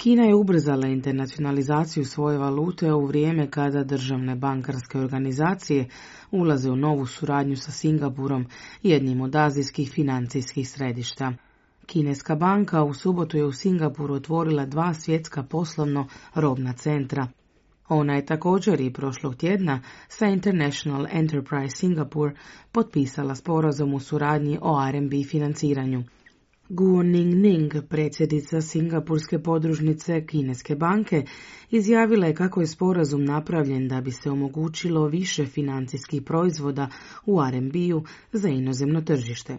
Kina je ubrzala internacionalizaciju svoje valute u vrijeme kada državne bankarske organizacije ulaze u novu suradnju sa Singapurom, jednim od azijskih financijskih središta. Kineska banka u subotu je u Singapuru otvorila 2 svjetska poslovno robna centra. Ona je također i prošlog tjedna sa International Enterprise Singapore potpisala sporazum u suradnji o RMB financiranju. Guo Ning, predsjednica Singapurske podružnice Kineske banke, izjavila je kako je sporazum napravljen da bi se omogućilo više financijskih proizvoda u RMB-u za inozemno tržište.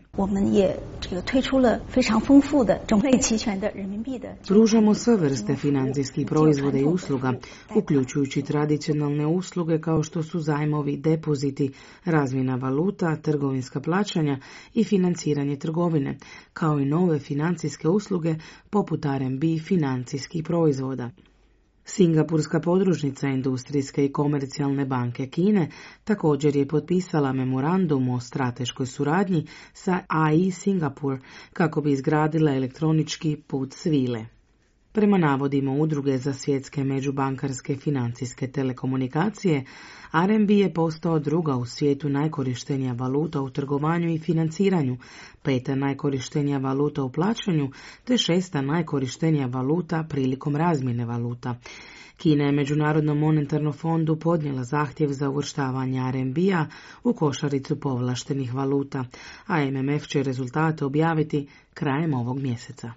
Pružamo sve vrste financijskih proizvoda i usluga, uključujući tradicionalne usluge kao što su zajmovi, depoziti, razmjena valuta, trgovinska plaćanja i financiranje trgovine, kao i nove financijske usluge poput RMB financijskih proizvoda. Singapurska podružnica Industrijske i komercijalne banke Kine također je potpisala memorandum o strateškoj suradnji sa AI Singapore kako bi izgradila elektronički put svile. Prema navodima Udruge za svjetske međubankarske financijske telekomunikacije, RMB je postao druga u svijetu najkorištenija valuta u trgovanju i financiranju, 5. najkorištenija valuta u plaćanju, te 6. najkorištenija valuta prilikom razmjene valuta. Kina je Međunarodnom monetarnom fondu podnijela zahtjev za uvrštavanje RMB-a u košaricu povlaštenih valuta, a MMF će rezultate objaviti krajem ovog mjeseca.